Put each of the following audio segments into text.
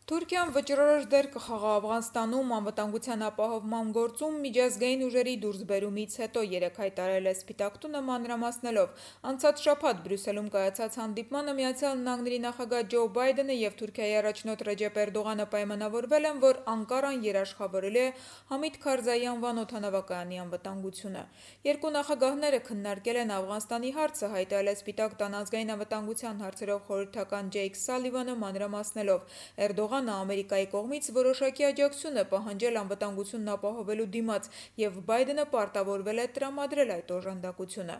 Թուրքիան վճռորոշ դեր կխաղա Աֆղանստանում անվտանգության ապահովման գործում միջազգային ուժերի դուրսբերումից հետո, երեկ հայտարարել է Սպիտակ տունը մանրամասնելով։ Անցած շաբաթ Բրյուսելում կայացած հանդիպմանը ԱՄՆ նախագահ Ջո Բայդենը և Թուրքիայի առաջնորդ Ռեջեփ Էրդողանը պայմանավորվել են, որ Անկարան երաշխավորելու է Համիդ Քարզայի անվան օդանավակայանի անվտանգությունը։ Երկու նախագահները քննարկել են Աֆղանստանի հարցը, հայտարարել է Սպիտակ տան ազգային անվտանգության հարցերով խորհրդական Ջեյք Սալիվանը մանրամասնելով։ Էրդողանը Ամերիկայի կողմից որոշակի աջակցություն է պահանջել անվտանգությունն ապահովելու դիմաց, և Բայդենը պարտավորվել է տրամադրել այդ օժանդակությունը։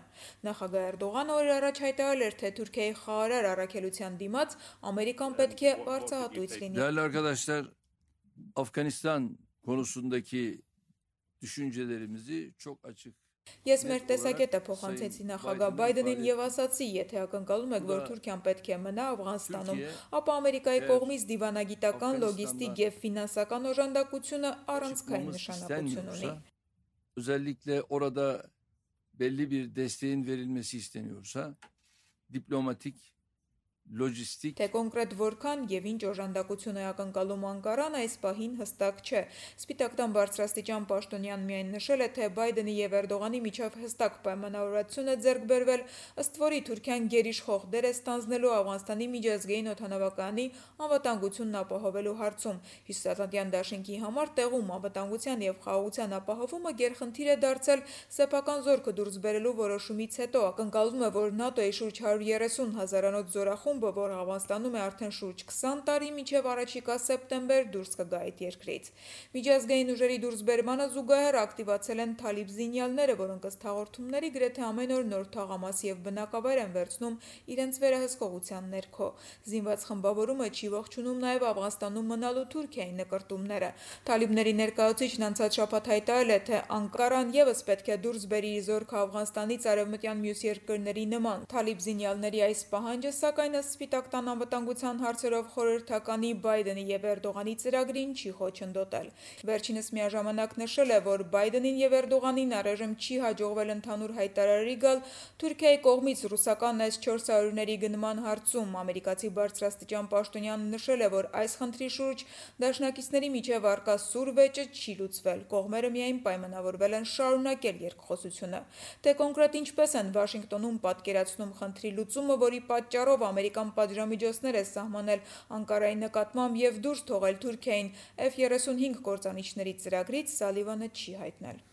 Նախագահ Էրդողանը օրեր առաջ հայտարարել էր, թե Թուրքիայի խաղաղարար առաքելության դիմաց Ամերիկան պետք է վարձահատույց լինի։ Değerli arkadaşlar, Afganistan konusundaki düşüncelerimizi çok açık. Ես մեր տեսակետը փոխանցեցի նախագահ Բայդենին և ասացի, եթե ակնկալում եք, որ Թուրքիան պետք է մնա Աֆղանստանում, ապա Ամերիկայի կողմից դիվանագիտական, լոգիստիկ և ֆինանսական օժանդակությունը առանցքային նշանակություն ունի։ Özellikle orada belli bir desteğin verilmesi isteniyorsa, diplomatik, lojistik. Թե կոնկրետ որքան և ինչ օժանդակություն է ակնկալում Անկարան, այս պահին հստակ չէ։ Սպիտակ տան բարձրաստիճան պաշտոնյան միայն նշել է, թե Բայդենի և Էրդողանի միջև հստակ պայմանավորվածություն է ձեռք բերվել, ըստ որի Թուրքիան գերիշխող դեր է ստանձնելու Աֆղանստանի միջազգային օդանավակայանի անվտանգությունն ապահովելու հարցում։ Հյուսիսատլանտյան դաշինքի համար տեղում անվտանգության և խաղաղության ապահովումը գերխնդիր է դարձել սեփական զորքը դուրս բերելու որոշումից հետո։ Ակնկալվում է, որ ՆԱՏՕ-ի շուրջ 130 հազարանոց զորախումբը, որ Աֆղանստանում է արդեն շուրջ 20 տարի, մինչև առաջիկա սեպտեմբեր դուրս կգա այդ երկրից։ Միջազգային ուժերի դուրսբերմանը զուգահեռ ակտիվացել են թալիբ զինյալները, որոնք ըստ հաղորդումների գրեթե ամեն օր նոր թաղամաս և բնակավայր են վերցնում իրենց վերահսկողության ներքո։ Զինված խմբավորումը չի ողջունում նաև Աֆղանստանում մնալու Թուրքիայի նկրտումները։ Թալիբների ներկայացուցիչն անցած շաբաթ հայտարարել է, թե Անկարան ևս պետք է դուրս բերի իր զորքը Աֆղանստանից արևմտյան մյուս երկրների նման։ Թալիբ զինյալների այս պահանջը, սակայն, ըստ Սպիտակ տան անվտանգության հարցերով խորհրդականի Բայդենի և Էրդողանի ծրագրին չի խոչընդոտել։ Վերջինս միաժամանակ նշել է, որ Բայդենին և Էրդողանին առայժմ չի հաջողվել ընդհանուր հայտարարի գալ Թուրքիայի կողմից ռուսական S-400-ների գնման հարցում։ Ամերիկացի բարձրաստիճան պաշտոնյանը նշել է, որ այս խնդրի շուրջ դաշնակիցների միջև առկա սուր վեճը չի լուծվել։ Կողմերը միայն պայմանավորվել են շարունակել երկխոսությունը։ Թե կոնկրետ ինչպես են Վաշինգտոնում պատկերացնում խնդրի լուծումը, որի պատճառով Ամերիկան պատժամիջոցներ է սահմանել Անկարայի նկատմամբ և դուրս թողել Թուրքիային F-35 կործանիչների ծրագրից, Սալիվանը չի հայտնել։